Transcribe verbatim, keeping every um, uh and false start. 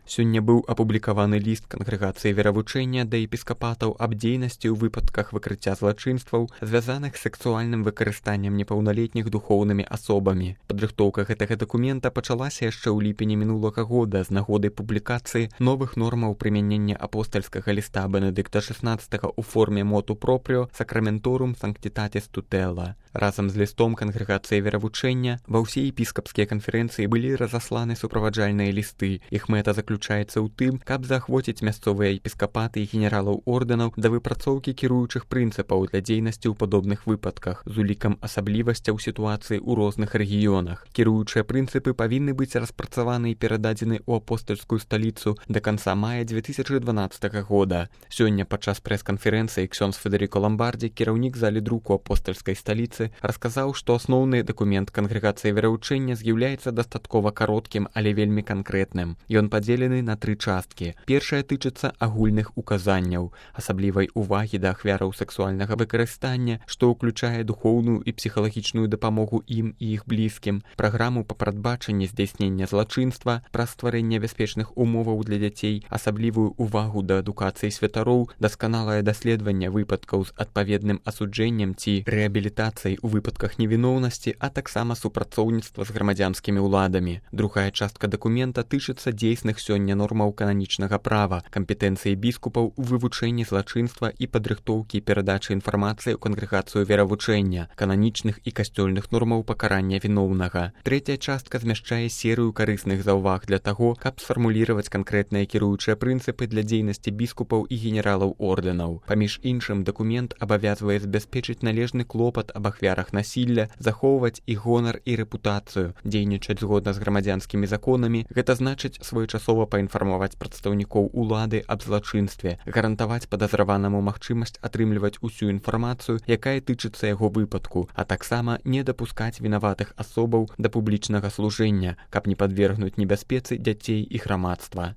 Сёння быў апублікаваны ліст кангрэгацыі веравучэння да епіскапатаў аб дзейнасці ў выпадках выкрыцця злачынстваў, звязаных з сексуальным выкарыстаннем непаўналетніх духоўнымі асобамі. Падрыхтоўка гэтага дакумента пачалася яшчэ ў ліпені мінулага года з нагоды публікацыі новых нормаў прымянення апостальскага ліста Бенедыкта шестнадцатага ў форме моту пропріо Sacramentorum Sanctitatis Tutela. Разам з лістом кангрэгацыі веравучэння ва ўсе епіскапскія канферэнцыі былі разасланы суправаджальныя лісты. Іх мэта заключаецца ў тым, каб заахвоціць мясцовыя епіскапаты і генералаў ордэнаў да выпрацоўкі кіруючых прынцыпаў для дзейнасці ў падобных выпадках з улікам асаблівасцяў сітуацыі ў розных рэгіёнах. Кіруючыя прынцыпы павінны быць распрацаваны і перададзены ў апостальскую сталіцу да канца мая дзве тысячы дванаццатага года. Сёння падчас прэс-канферэнцыі ксёндз Федэрыко Ламбардзі, кіраўнік залі друку апостальскай сталіцы, расказаў, што асноўны дакумент кангрэгацыі вераўчэння з'яўляецца дастаткова кароткім, але вельмі канкрэтным. Ён падзелены на тры часткі. Першая тычыцца агульных указанняў, асаблівай увагі да ахвяраў сексуальнага выкарыстання, што ўключае духоўную і псіхалагічную дапамогу ім і іх блізкім, праграму па прадбачанні здзяйснення злачынства, праз стварэнне бяспечных умоваў для дзяцей, асаблівую увагу да адукацыі святароў, дасканалае даследаванне выпадкаў з адпаведным асуджэннем ці рэабілітацыяй у выпадках невіноўнасці, а таксама супрацоўніцтва з грамадзянскімі ўладамі. Другая частка дакумента тычыцца дзейсных сёння нормаў кананічнага права, кампетэнцыі біскупаў у вывучэнні злачынства і падрыхтоўкі і перадачы інфармацыі ў кангрэгацыю веравучэння, кананічных і касцёльных нормаў пакарання віноўнага. Трэцяя частка змяшчае серыю карысных заўваг для таго, каб сфармуліраваць канкрэтныя кіруючыя прынцыпы для дзейнасці біскупаў і генералаў ордэнаў. Паміж іншым, дакумент абавязвае забяспечыць належны клопат аб ахвярах насілля, захоўваць іх гонар і рэпутацыю, дзейнічаць згодна з грамадзянскімі законамі, гэта значыць своечасова паінфармаваць прадстаўнікоў улады аб злачынстве, гарантаваць падазраванаму магчымасць атрымліваць усю інфармацыю, якая тычыцца яго выпадку, а таксама не дапускаць вінаватых асобаў да публічнага служэння, каб не падвергнуць небяспецы дзяцей і грамадства.